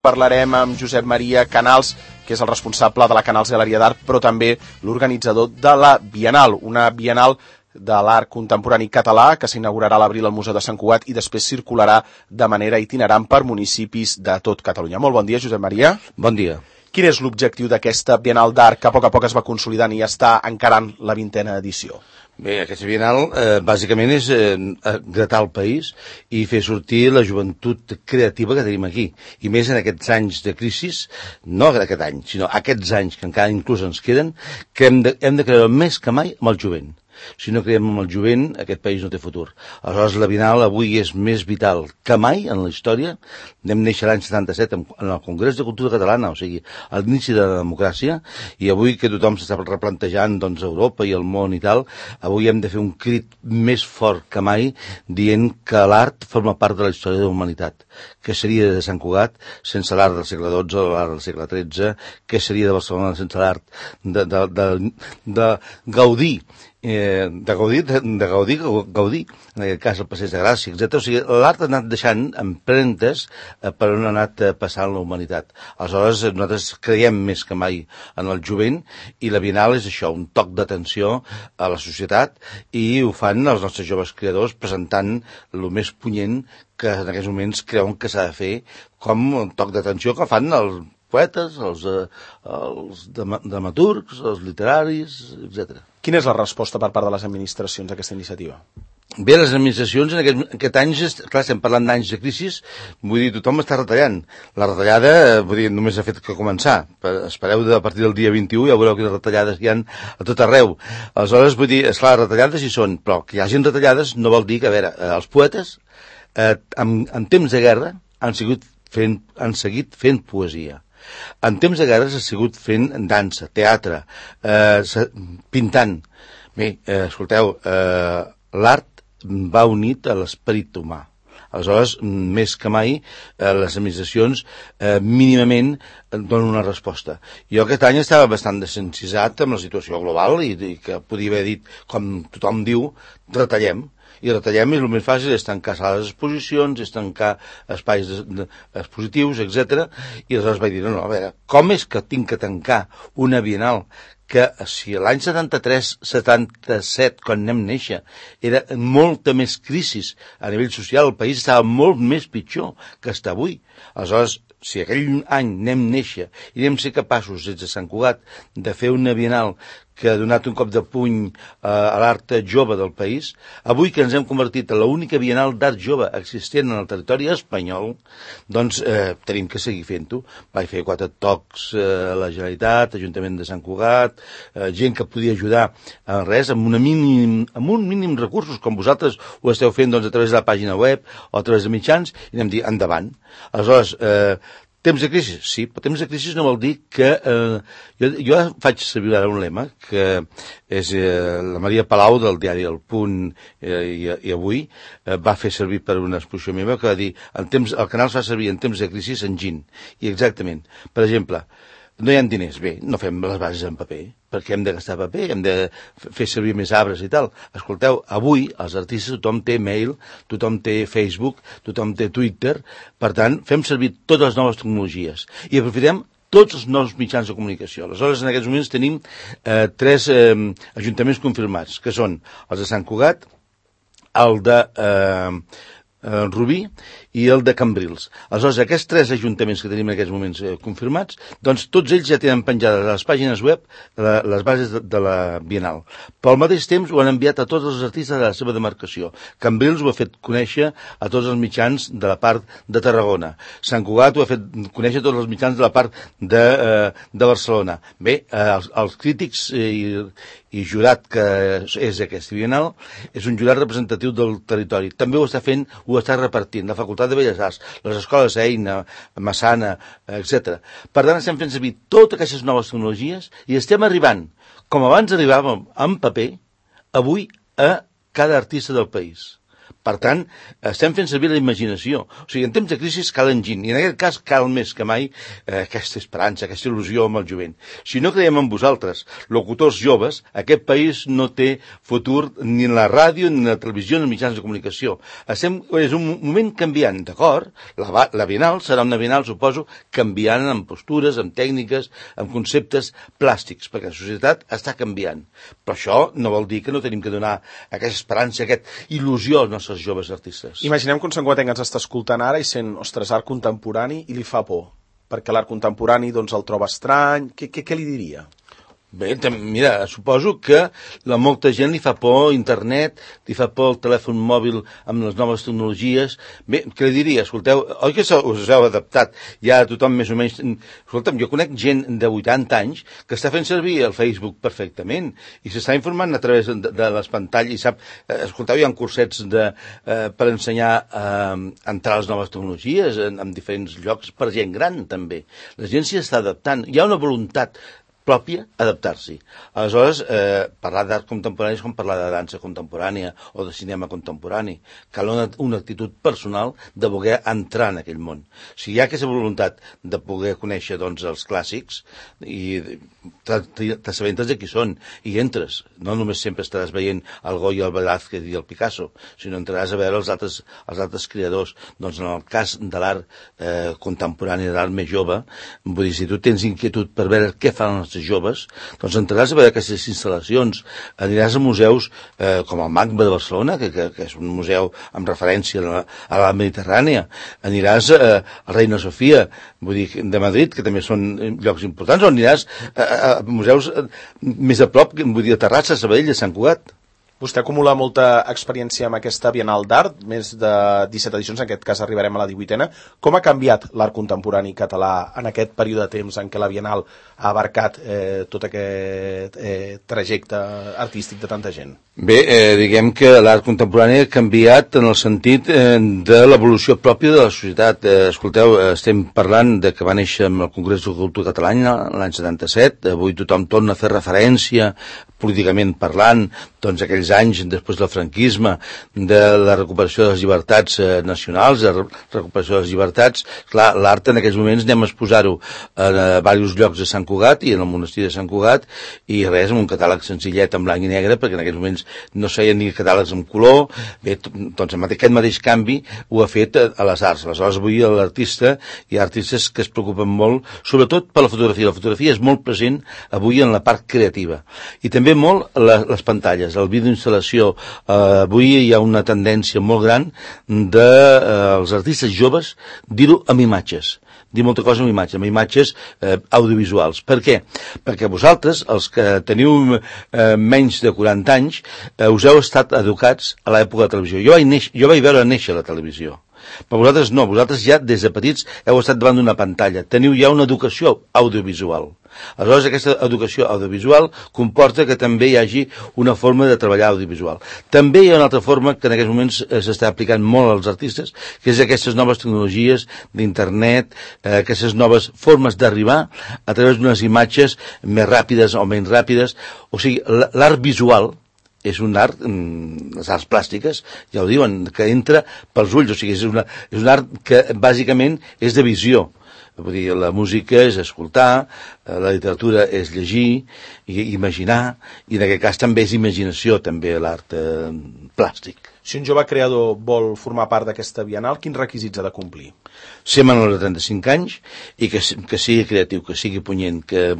Parlarem amb Josep Maria Canals, que és el responsable de la Canals Galeria d'Art, però també l'organitzador de la Bienal, una Bienal de l'art contemporani català que s'inaugurarà a l'abril al Museu de Sant Cugat i després circularà de manera itinerant per municipis de tot Catalunya. Molt bon dia, Josep Maria. Bon dia. Quin és l'objectiu d'aquesta Bienal d'Art que a poc es va consolidant i està encarant la 20a edició? Bé, aquesta Bienal bàsicament és gratar el país i fer sortir la joventut creativa que tenim aquí. I més en aquests anys de crisi, no aquest any, sinó aquests anys que encara inclús ens queden, que hem de creure més que mai amb el jovent. Si no creiem en el jovent, aquest país no té futur. Aleshores, la Bienal avui és més vital que mai en la història. Vam néixer l'any 77 en el Congrés de Cultura Catalana, o sigui, a l'inici de la democràcia, i avui que tothom s'està replantejant doncs, Europa i el món i tal, avui hem de fer un crit més fort que mai dient que l'art forma part de la història de la humanitat. Què seria de Sant Cugat sense l'art del segle XII o l'art del segle XIII? Què seria de Barcelona sense l'art de Gaudí? Gaudí, en aquest cas el Passeig de Gràcia, etc. O sigui, l'art ha anat deixant empremtes per on ha anat passant la humanitat. Aleshores, nosaltres creiem més que mai en el jovent i la Bienal és això, un toc d'atenció a la societat i ho fan els nostres joves creadors presentant el més punyent que en aquests moments creuen que s'ha de fer com un toc d'atenció que fan els poetes, els dramaturgs, els literaris, etc. Quina és la resposta per part de les administracions a aquesta iniciativa? Bé, les administracions en aquest any, clar, estem parlant d'anys de crisi, vull dir, tothom està retallant. La retallada, vull dir, només ha fet que començar. Espereu a partir del dia 21, ja veureu quines retallades hi ha a tot arreu. Aleshores, vull dir, esclar, retallades hi són, però que hi hagin retallades no vol dir que, a veure, els poetes, en temps de guerra, han seguit fent poesia. En temps de guerra s'ha sigut fent dansa, teatre, pintant. Bé, escolteu, l'art va unit a l'esperit humà. Aleshores, més que mai, les administracions mínimament donen una resposta. Jo aquest any estava bastant desencisat amb la situació global i que podia haver dit, com tothom diu, retallem. I retallem i el més fàcil és tancar sales d'exposicions, és tancar espais expositius, etc. I aleshores vaig dir, no, a veure, com és que tinc que tancar una Bienal que si l'any 73-77, quan anem néixer, era molta més crisi a nivell social, el país estava molt més pitjor que està avui. Aleshores, si aquell any anem néixer i anem ser capaços, des de Sant Cugat, de fer una Bienal que ha donat un cop de puny a l'art jove del país, avui que ens hem convertit en l'única Bienal d'art jove existent en el territori espanyol, doncs tenim que seguir fent-ho. Vaig fer 4 tocs a la Generalitat, Ajuntament de Sant Cugat, gent que podia ajudar en res, amb un mínim recursos, com vosaltres ho esteu fent doncs, a través de la pàgina web o a través de mitjans, i anem dir endavant. Aleshores, temps de crisi? Sí, però temps de crisi no vol dir que... Jo faig servir ara un lema, que és la Maria Palau del diari El Punt i Avui, va fer servir per una exposició meva que va dir el canal es fa servir en temps de crisi enginy. I exactament. Per exemple, no hi ha diners, bé, no fem les bases en paper, perquè hem de gastar paper, hem de fer servir més arbres i tal. Escolteu, avui els artistes tothom té mail, tothom té Facebook, tothom té Twitter, per tant, fem servir totes les noves tecnologies i aprofitem tots els nous mitjans de comunicació. Aleshores, en aquests moments tenim 3 ajuntaments confirmats, que són els de Sant Cugat, el de Rubí i el de Cambrils. Aleshores, aquests 3 ajuntaments que tenim en aquests moments confirmats, doncs tots ells ja tenen penjades a les pàgines web les bases de la Bienal. Però al mateix temps ho han enviat a tots els artistes de la seva demarcació. Cambrils ho ha fet conèixer a tots els mitjans de la part de Tarragona. Sant Cugat ho ha fet conèixer a tots els mitjans de la part de Barcelona. Bé, els crítics i jurat que és aquesta Bienal és un jurat representatiu del territori. També ho està fent, ho està repartint la Facultat de Belles Arts, les escoles Eina, Massana, etc. Per tant, estem fent servir totes aquestes noves tecnologies i estem arribant, com abans arribàvem en paper, avui a cada artista del país. Per tant, estem fent servir la imaginació. O sigui, en temps de crisi cal enginy, i en aquest cas cal més que mai aquesta esperança, aquesta il·lusió amb el jovent. Si no creiem en vosaltres, locutors joves, aquest país no té futur ni en la ràdio, ni en la televisió, ni en els mitjans de comunicació. És un moment canviant, d'acord? La Bienal serà una Bienal, suposo, canviant en postures, en tècniques, en conceptes plàstics, perquè la societat està canviant. Però això no vol dir que no tenim que donar aquesta esperança, aquesta il·lusió als nostres joves artistes. Imaginem que un santcugatenc ens està escoltant ara i sent, ostres, art contemporani, i li fa por, perquè l'art contemporani doncs el troba estrany. Què li diria? Bé, mira, suposo que a molta gent li fa por internet, li fa por el telèfon mòbil amb les noves tecnologies. Bé, què li diria? Escolteu, oi que us heu adaptat? Ja tothom més o menys... Escolta'm, jo conec gent de 80 anys que està fent servir el Facebook perfectament i s'està informant a través de les pantalles i sap... Escolteu, hi ha cursets per ensenyar a entrar a les noves tecnologies en diferents llocs per gent gran, també. La gent s'hi està adaptant. Hi ha una voluntat pròpia adaptar-s'hi. Aleshores, parlar d'art contemporani és com parlar de dansa contemporània o de cinema contemporani. Cal una actitud personal de voler entrar en aquell món. Si hi ha aquesta voluntat de poder conèixer doncs, els clàssics i t'assabentes de qui són i entres. No només sempre estaràs veient el Goya, el Velázquez i el Picasso, sinó entraràs a veure els altres creadors. Doncs en el cas de l'art contemporani, de l'art més jove, vull dir, si tu tens inquietud per veure què fan els joves, doncs entraràs a veure aquestes instal·lacions, aniràs a museus com el MACBA de Barcelona, que és un museu amb referència a la Mediterrània, aniràs a Reina Sofia, vull dir, de Madrid, que també són llocs importants, o aniràs a museus més a prop, vull dir, a Terrassa, a Sabadell, a Sant Cugat. Vostè acumula molta experiència amb aquesta Bienal d'Art, més de 17 edicions, en aquest cas arribarem a la 18a. Com ha canviat l'art contemporani català en aquest període de temps en què la Bienal ha abarcat tot aquest trajecte artístic de tanta gent? Bé, diguem que l'art contemporani ha canviat en el sentit de l'evolució pròpia de la societat. Escolteu, estem parlant de que va néixer amb el Congrés de Cultura Catalana l'any 77, avui tothom torna a fer referència políticament parlant, doncs aquells anys després del franquisme, de la recuperació de les llibertats nacionals, de la recuperació de les llibertats. Clar, l'art en aquells moments anem a exposar-ho a diversos llocs de Sant Cugat i en el monestir de Sant Cugat, i res, amb un catàleg senzillet en blanc i negre, perquè en aquells moments no es feien ni catàlegs en color. Bé, doncs aquest mateix canvi ho ha fet a les arts. Aleshores, avui l'artista, hi ha artistes que es preocupen molt, sobretot per la fotografia. La fotografia és molt present avui en la part creativa. I també molt les pantalles, el vídeo instal·lació. Avui hi ha una tendència molt gran dels artistes joves dir-ho amb imatges, dir molta cosa amb imatges audiovisuals. Per què? Perquè vosaltres, els que teniu menys de 40 anys, us heu estat educats a l'època de la televisió. Jo vaig veure néixer la televisió. Però vosaltres no, vosaltres ja des de petits heu estat davant d'una pantalla, teniu ja una educació audiovisual. Aleshores, aquesta educació audiovisual comporta que també hi hagi una forma de treballar audiovisual. També hi ha una altra forma que en aquests moments s'està aplicant molt als artistes, que és aquestes noves tecnologies d'internet, aquestes noves formes d'arribar a través d'unes imatges més ràpides o menys ràpides. O sigui, l'art visual és un art, les arts plàstiques, ja ho diuen, que entra pels ulls, o sigui, és un art que bàsicament és de visió. Vull dir, la música és escoltar, la literatura és llegir, i imaginar, i en aquest cas també és imaginació, també l'art plàstic. Si un jove creador vol formar part d'aquesta Bienal, quins requisits ha de complir? Ser menor de 35 anys i que sigui creatiu, que sigui punyent, que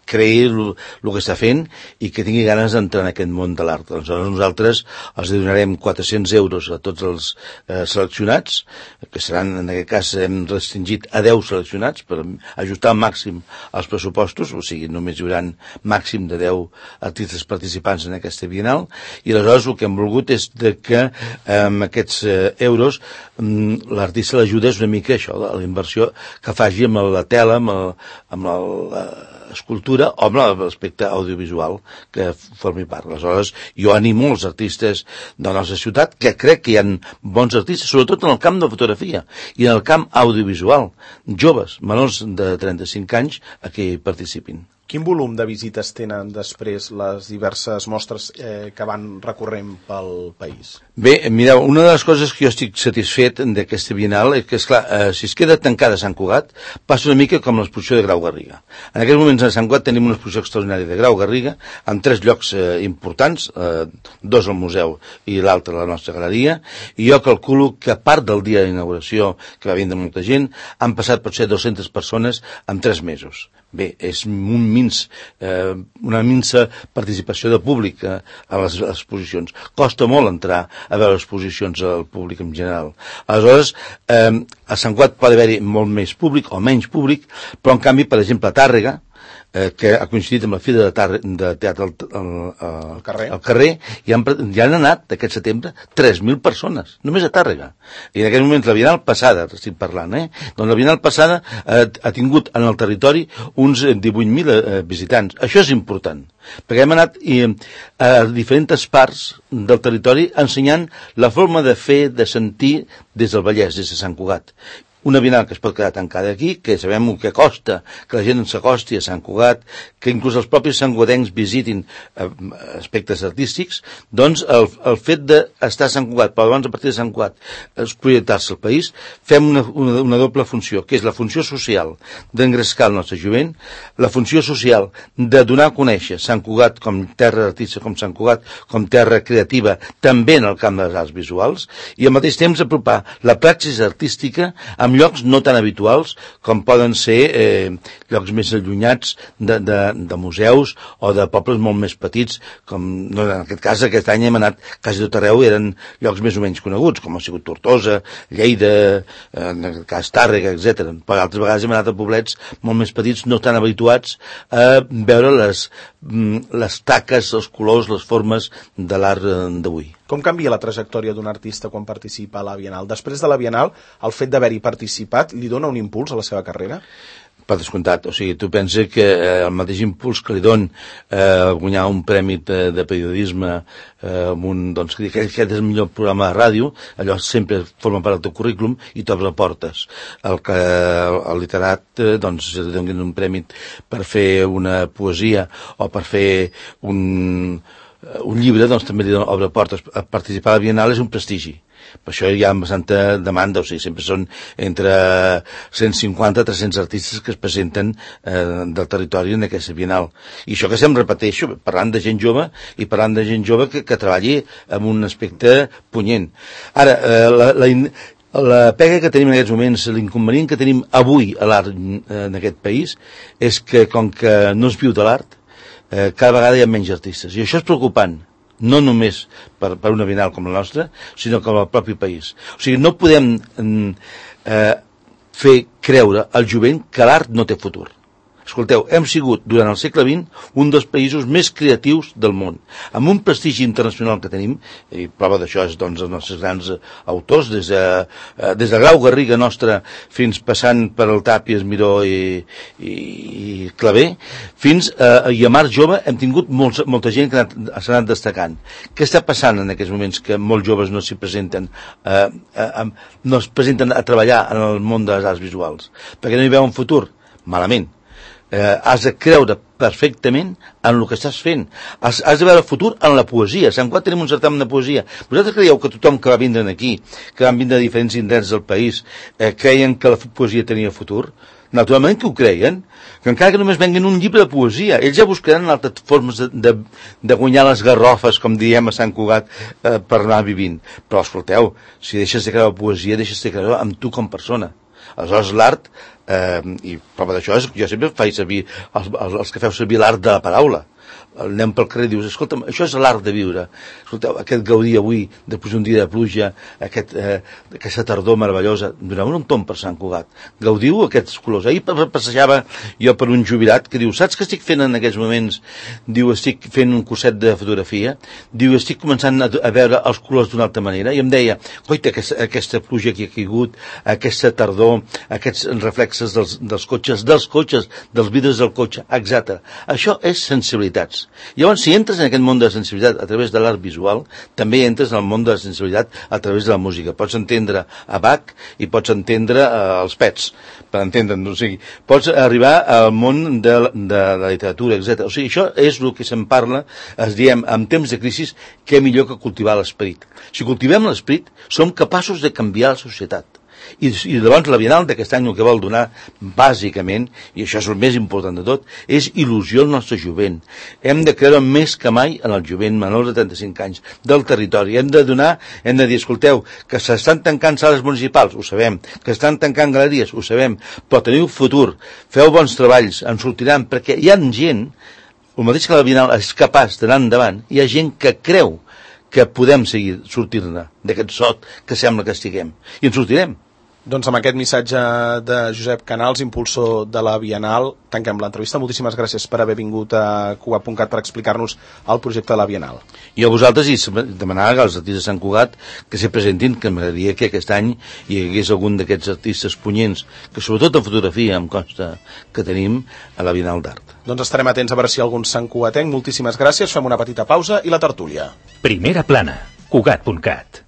creï el que està fent i que tingui ganes d'entrar en aquest món de l'art. Aleshores nosaltres els donarem 400 euros a tots els seleccionats, que seran, en aquest cas hem restringit a 10 seleccionats per ajustar al màxim els pressupostos, o sigui, només hi haurà màxim de 10 artistes participants en aquesta Bienal, i aleshores el que hem volgut és que amb aquests euros l'artista l'ajuda és una mica això, la inversió que faci amb la tela, amb l'escultura o amb l'aspecte audiovisual que formi part. Aleshores, jo animo els artistes de la nostra ciutat, que crec que hi ha bons artistes, sobretot en el camp de fotografia i en el camp audiovisual, joves, menors de 35 anys, a que hi participin. Quin volum de visites tenen després les diverses mostres que van recorrent pel país? Bé, mireu, una de les coses que jo estic satisfet d'aquesta Bienal és que, esclar, si es queda tancada a Sant Cugat, passa una mica com l'exposició de Grau Garriga. En aquests moments a Sant Cugat tenim una exposició extraordinària de Grau Garriga, amb 3 llocs importants, 2 al museu i l'altre a la nostra galeria, i jo calculo que a part del dia d'inauguració, que va vindre molta gent, han passat potser 200 persones en 3 mesos. Bé, és una minsa participació de públic a les exposicions. Costa molt entrar a veure exposicions al públic en general. Aleshores, a Sant Cugat pot haver-hi molt més públic o menys públic, però en canvi, per exemple, a Tàrrega, que ha coincidit amb la Fira de Teatre al carrer, i han anat aquest setembre 3.000 persones, només a Tàrrega. I en aquest moment la Bienal passada, estic parlant, doncs la Bienal passada ha tingut en el territori uns 18.000 visitants. Això és important, perquè hem anat a diferents parts del territori ensenyant la forma de fer, de sentir des del Vallès, des de Sant Cugat. Una Bienal que es pot quedar tancada aquí, que sabem el que costa que la gent s'acosti a Sant Cugat, que inclús els propis santcugatencs visitin aspectes artístics, doncs el fet d'estar a Sant Cugat, però abans a partir de Sant Cugat es projectar-se al país, fem una doble funció, que és la funció social d'engrescar el nostre jovent, la funció social de donar a conèixer Sant Cugat com terra artística, com Sant Cugat com terra creativa, també en el camp de les arts visuals, i al mateix temps apropar la praxis artística amb llocs no tan habituals com poden ser llocs més allunyats de museus o de pobles molt més petits, com no, en aquest cas aquest any hem anat quasi tot arreu, eren llocs més o menys coneguts, com ha sigut Tortosa, Lleida, en aquest cas Tàrrega, etc. Però altres vegades hem anat a poblets molt més petits, no tan habituats a veure les taques, els colors, les formes de l'art d'avui. Com canvia la trajectòria d'un artista quan participa a la Bienal? Després de la Bienal, el fet d'haver-hi participat li dona un impuls a la seva carrera? Per descomptat, o sigui, tu penses que el mateix impuls que li don guanyar un premi de periodisme doncs, que aquest és el millor programa de ràdio, allò sempre forma part del teu currículum i t'obre portes. El literat, doncs, li donin un premi per fer una poesia o per fer un llibre, doncs també li obre portes. Participar a la Bienal és un prestigi. Per això hi ha bastanta demanda, o sigui, sempre són entre 150 i 300 artistes que es presenten del territori en aquesta Bienal. I això que sempre repeteixo, parlant de gent jove i parlant de gent jove que treballi amb un aspecte punyent. Ara, la pega que tenim en aquests moments, l'inconvenient que tenim avui a l'art en aquest país, és que com que no es viu de l'art, cada vegada hi ha menys artistes. I això és preocupant, no només per una Bienal com la nostra, sinó com el propi país. O sigui, no podem fer creure al jovent que l'art no té futur. Escolteu, hem sigut, durant el segle XX, un dels països més creatius del món, amb un prestigi internacional que tenim, i prova d'això és doncs, els nostres grans autors, des de Grau Garriga nostra, fins passant per el Tàpies, Miró i Clavé, fins a Mar Jove hem tingut molta gent que s'ha anat destacant. Què està passant en aquests moments que molts joves no s'hi presenten, no es presenten a treballar en el món de les arts visuals? Perquè no hi veuen futur? Malament. Has de creure perfectament en el que estàs fent. Has de veure el futur en la poesia. A Sant Cugat tenim un certamen de poesia. Vosaltres creieu que tothom que va vindre aquí, que van vindre de diferents indrets del país, creien que la poesia tenia futur? Naturalment que ho creien, que encara que només venguin un llibre de poesia, ells ja buscaran altres formes de guanyar les garrofes, com diem a Sant Cugat, per anar vivint. Però escolteu, si deixes de creure poesia, deixes de creure amb tu com persona. Aleshores l'art, i prova d'això és que jo sempre faig servir els que feu servir l'art de la paraula. Anem pel carrer i dius, escolta'm, això és l'art de viure. Escolteu, aquest gaudir avui, després d'un dia de pluja, aquesta tardor meravellosa, doneu un tomb per Sant Cugat. Gaudiu aquests colors. Ahir passejava jo per un jubilat que diu, saps què estic fent en aquests moments? Diu, estic fent un curset de fotografia. Diu, estic començant a veure els colors d'una altra manera. I em deia, coita, aquesta pluja que ha caigut, aquesta tardor, aquests reflexes dels cotxes, dels vidres del cotxe, etc. Això és sensibilitat. sensibilitats. Llavors, si entres en aquest món de la sensibilitat a través de l'art visual, també entres en el món de la sensibilitat a través de la música. Pots entendre a Bach i pots entendre els Pets, per entendre'ns. O sigui, pots arribar al món de la literatura, etc. O sigui, això és el que se'n parla, diem, en temps de crisi, què millor que cultivar l'esperit. Si cultivem l'esperit, som capaços de canviar la societat. I llavors la Bienal d'aquest any el que vol donar bàsicament, i això és el més important de tot, és il·lusió al nostre jovent. Hem de creure més que mai en el jovent menors de 35 anys del territori. Hem de dir, escolteu, que s'estan tancant sales municipals, ho sabem, que estan tancant galeries, ho sabem, però teniu futur, feu bons treballs, en sortiran, perquè hi ha gent, el mateix que la Bienal és capaç d'anar endavant, hi ha gent que creu que podem seguir sortir-ne d'aquest sot que sembla que estiguem. I en sortirem. Doncs amb aquest missatge de Josep Canals, impulsor de la Bienal, tanquem l'entrevista. Moltíssimes gràcies per haver vingut a Cugat.cat per explicar-nos el projecte de la Bienal. I a vosaltres, i demanava que els artistes de Sant Cugat que se presentin, que m'agradaria que aquest any hi hagués algun d'aquests artistes punyents, que sobretot en fotografia em consta que tenim a la Bienal d'Art. Doncs estarem atents a veure si algun santcugatenc. Moltíssimes gràcies, fem una petita pausa i la tertúlia. Primera plana, Cugat.cat.